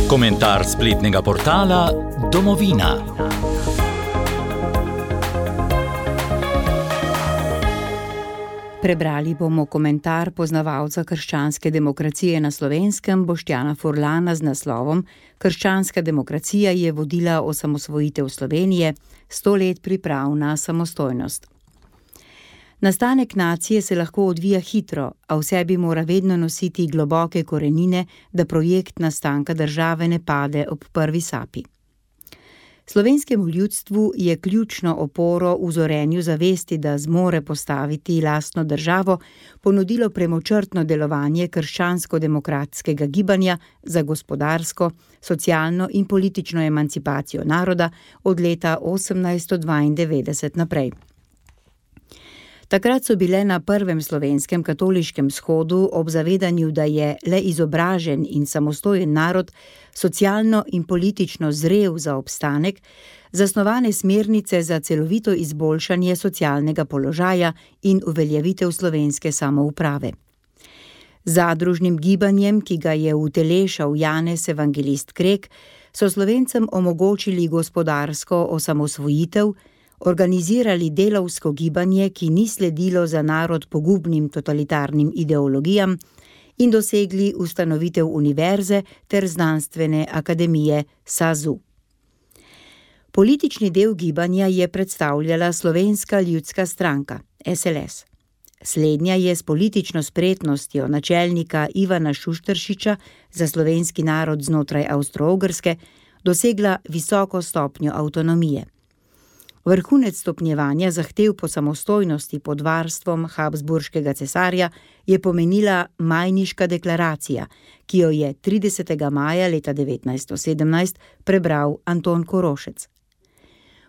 Komentar spletnega portala Domovina. Prebrali bomo komentar poznavalca krščanske demokracije na Slovenskem Boštjana Furlana z naslovom Krščanska demokracija je vodila osamosvojitev Slovenije, 100 let priprav na samostojnost. Nastanek nacije se lahko odvija hitro, a v sebi mora vedno nositi globoke korenine, da projekt nastanka države ne pade ob prvi sapi. Slovenskemu ljudstvu je ključno oporo v zorenju zavesti, da zmore postaviti lastno državo, ponudilo premočrtno delovanje krščansko-demokratskega gibanja za gospodarsko, socialno in politično emancipacijo naroda od leta 1892 naprej. Takrat so bile na prvem slovenskem katoliškem shodu ob zavedanju, da je le izobražen in samostojen narod socialno in politično zrel za obstanek, zasnovane smernice za celovito izboljšanje socialnega položaja in uveljavitev slovenske samouprave. Zadružnim gibanjem, ki ga je utelešal Janez Evangelist Krek, so Slovencem omogočili gospodarsko osamosvojitev, organizirali delavsko gibanje, ki ni sledilo za narod pogubnim totalitarnim ideologijam, in dosegli ustanovitev univerze ter znanstvene akademije SAZU. Politični del gibanja je predstavljala Slovenska ljudska stranka, SLS. Slednja je s politično spretnostjo načelnika Ivana Šušteršiča za slovenski narod znotraj Avstro-Ogrske dosegla visoko stopnjo avtonomije. Vrhunec stopnjevanja zahtev po samostojnosti pod varstvom habsburškega cesarja je pomenila Majniška deklaracija, ki jo je 30. maja leta 1917 prebral Anton Korošec.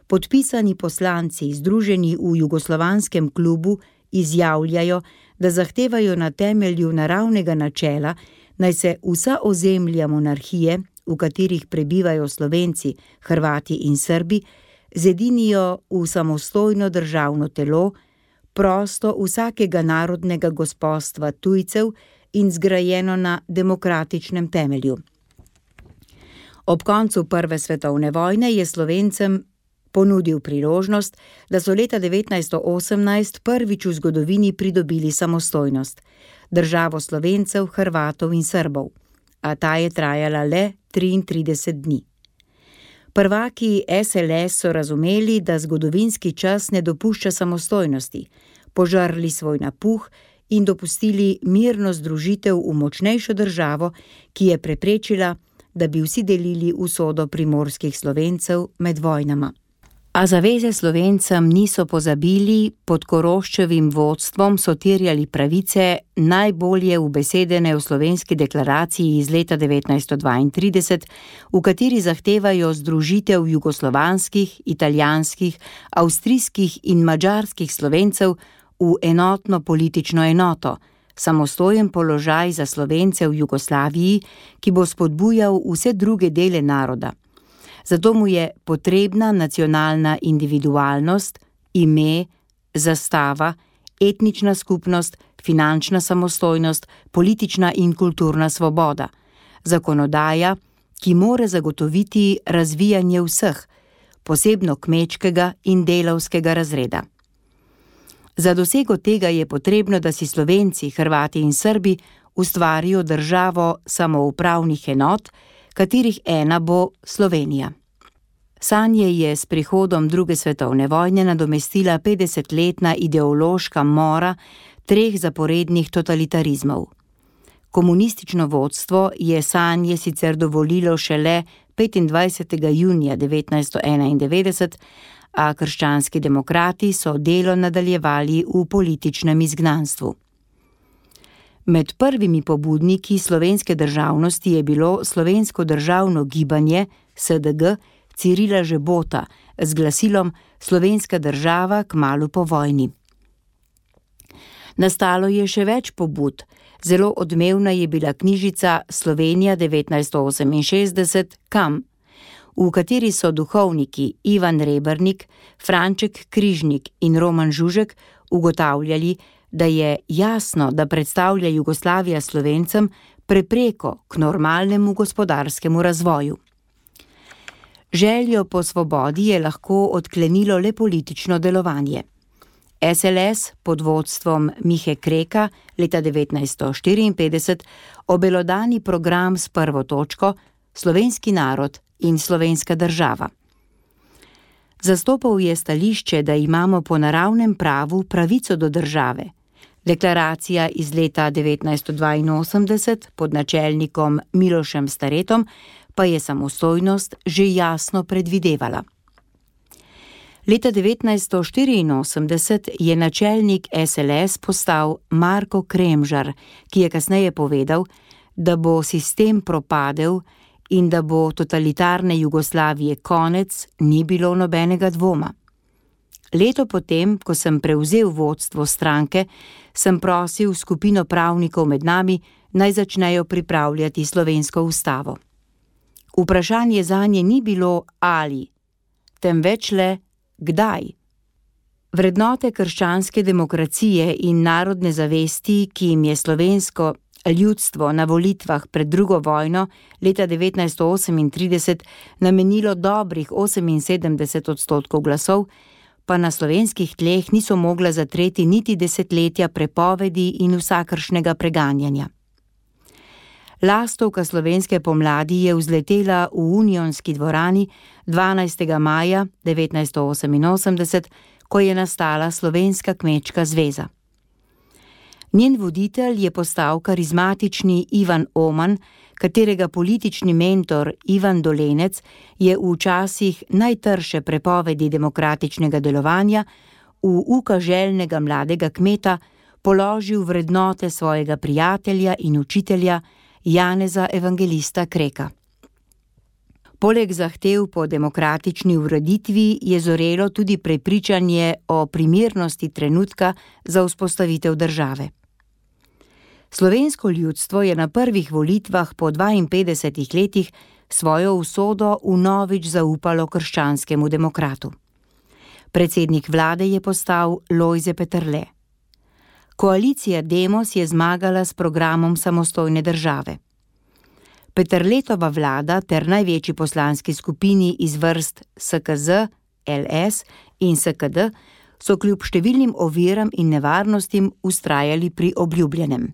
Podpisani poslanci, združeni v Jugoslovanskem klubu, izjavljajo, da zahtevajo na temelju naravnega načela, naj se vsa ozemlja monarhije, v katerih prebivajo Slovenci, Hrvati in Srbi, zedinijo v samostojno državno telo, prosto vsakega narodnega gospostva tujcev in zgrajeno na demokratičnem temelju. Ob koncu Prve svetovne vojne je Slovencem ponudil priložnost, da so leta 1918 prvič v zgodovini pridobili samostojnost, državo Slovencev, Hrvatov in Srbov, a ta je trajala le 33 dni. Prvaki SLS so razumeli, da zgodovinski čas ne dopušča samostojnosti, požrli svoj napuh in dopustili mirno združitev v močnejšo državo, ki je preprečila, da bi vsi delili usodo primorskih Slovencev med vojnama. A zaveze Slovencem niso pozabili, pod Koroščevim vodstvom so terjali pravice najbolje ubesedene v slovenski deklaraciji iz leta 1932, v kateri zahtevajo združitev jugoslovanskih, italijanskih, avstrijskih in madžarskih Slovencev v enotno politično enoto, samostojen položaj za Slovence v Jugoslaviji, ki bo spodbujal vse druge dele naroda. Zato mu je potrebna nacionalna individualnost, ime, zastava, etnična skupnost, finančna samostojnost, politična in kulturna svoboda, zakonodaja, ki mora zagotoviti razvijanje vseh, posebno kmečkega in delavskega razreda. Za dosego tega je potrebno, da si Slovenci, Hrvati in Srbi ustvarijo državo samoupravnih enot, katerih ena bo Slovenija. Sanje je s prihodom druge svetovne vojne nadomestila 50-letna ideološka mora 3 zaporednih totalitarizmov. Komunistično vodstvo je sanje sicer dovolilo šele 25. junija 1991, a krščanski demokrati so delo nadaljevali v političnem izgnanstvu. Med prvimi pobudniki slovenske državnosti je bilo slovensko državno gibanje SDG Cirila Žebota z glasilom Slovenska država kmalu po vojni. Nastalo je še več pobud. Zelo odmevna je bila knjižica Slovenija 1968 Kam, v kateri so duhovniki Ivan Rebernik, Franček Križnik in Roman Žužek ugotavljali, da je jasno, da predstavlja Jugoslavija Slovencem prepreko k normalnemu gospodarskemu razvoju. Željo po svobodi je lahko odklenilo le politično delovanje. SLS pod vodstvom Mihe Kreka leta 1954 obelodani program s prvo točko Slovenski narod in slovenska država. Zastopal je stališče, da imamo po naravnem pravu pravico do države. Deklaracija iz leta 1982 pod načelnikom Milošem Staretom pa je samostojnost že jasno predvidevala. Leta 1984 je načelnik SLS postal Marko Kremžar, ki je kasneje povedal, da bo sistem propadel in da bo totalitarne Jugoslavije konec, ni bilo nobenega dvoma. Leto potem, ko sem prevzel vodstvo stranke, sem prosil skupino pravnikov med nami, naj začnejo pripravljati slovensko ustavo. Vprašanje zanje ni bilo ali, temveč le kdaj. Vrednote krščanske demokracije in narodne zavesti, ki jim je slovensko ljudstvo na volitvah pred drugo vojno leta 1938 namenilo dobrih 78% glasov, pa na slovenskih tleh niso mogla zatreti niti desetletja prepovedi in vsakršnega preganjanja. Lastovka slovenske pomladi je vzletela v Unionski dvorani 12. maja 1988, ko je nastala Slovenska kmečka zveza. Njen voditelj je postal karizmatični Ivan Oman, katerega politični mentor Ivan Dolenec je v časih najtrše prepovedi demokratičnega delovanja v uka željnega mladega kmeta položil vrednote svojega prijatelja in učitelja Janeza Evangelista Kreka. Poleg zahtev po demokratični ureditvi je zorelo tudi prepričanje o primernosti trenutka za vzpostavitev države. Slovensko ljudstvo je na prvih volitvah po 52 letih svojo usodo vnovič zaupalo krščanskemu demokratu. Predsednik vlade je postal Lojze Peterle. Koalicija Demos je zmagala s programom samostojne države. Peterletova vlada ter največji poslanski skupini iz vrst SKZ, LS in SKD so kljub številnim oviram in nevarnostim vztrajali pri obljubljenem.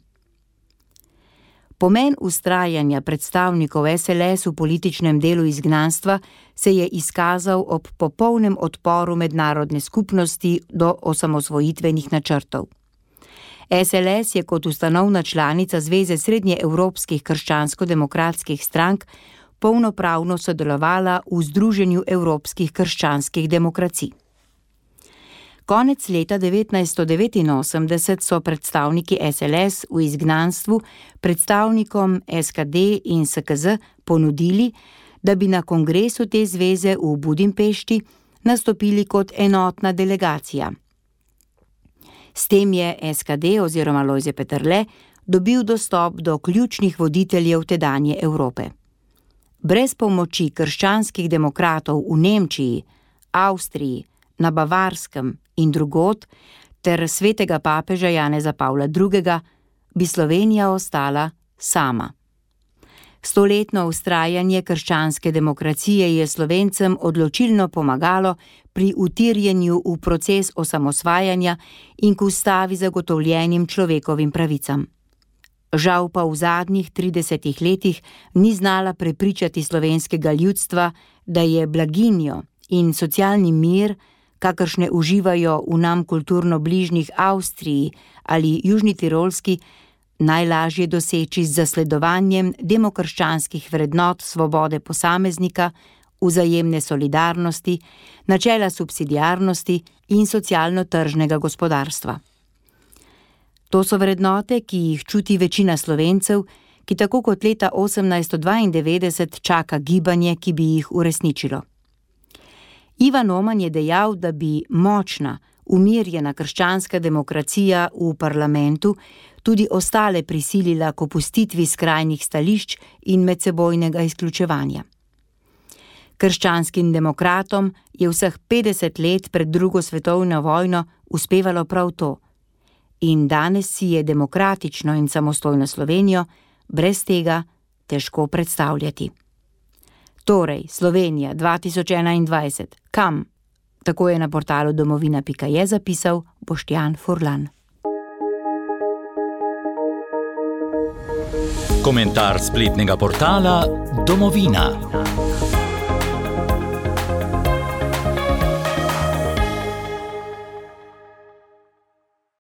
Pomen vztrajanja predstavnikov SLS v političnem delu izgnanstva se je izkazal ob popolnem odporu mednarodne skupnosti do osamosvojitvenih načrtov. SLS je kot ustanovna članica Zveze srednjeevropskih krščansko-demokratskih strank polnopravno sodelovala v Združenju evropskih krščanskih demokracij. Konec leta 1989 so predstavniki SLS v izgnanstvu predstavnikom SKD in SKZ ponudili, da bi na kongresu te zveze v Budimpešti nastopili kot enotna delegacija. S tem je SKD oziroma Lojze Peterle dobil dostop do ključnih voditeljev tedanje Evrope. Brez pomoči krščanskih demokratov v Nemčiji, Avstriji, na Bavarskem in drugod ter svetega papeža Janeza Pavla II. Bi Slovenija ostala sama. Stoletno vztrajanje krščanske demokracije je Slovencem odločilno pomagalo pri utirjenju v proces osamosvajanja in k ustavi zagotovljenim človekovim pravicam. Žal pa v zadnjih 30 letih ni znala prepričati slovenskega ljudstva, da je blaginjo in socialni mir, kakršne uživajo v nam kulturno bližnjih Avstriji ali Južni Tirolski, najlažje doseči z zasledovanjem demokrščanskih vrednot svobode posameznika, vzajemne solidarnosti, načela subsidiarnosti in socialno-tržnega gospodarstva. To so vrednote, ki jih čuti večina Slovencev, ki tako kot leta 1892 čaka gibanje, ki bi jih uresničilo. Ivan Oman je dejal, da bi močna, umirjena krščanska demokracija v parlamentu tudi ostale prisilila k opustitvi skrajnih stališč in medsebojnega izključevanja. Krščanskim demokratom je vseh 50 let pred drugo svetovno vojno uspevalo prav to in danes si je demokratično in samostojno Slovenijo brez tega težko predstavljati. Torej, Slovenija 2021, kam? Tako je na portalu domovina.je zapisal Boštjan Furlan. Komentar spletnega portala Domovina.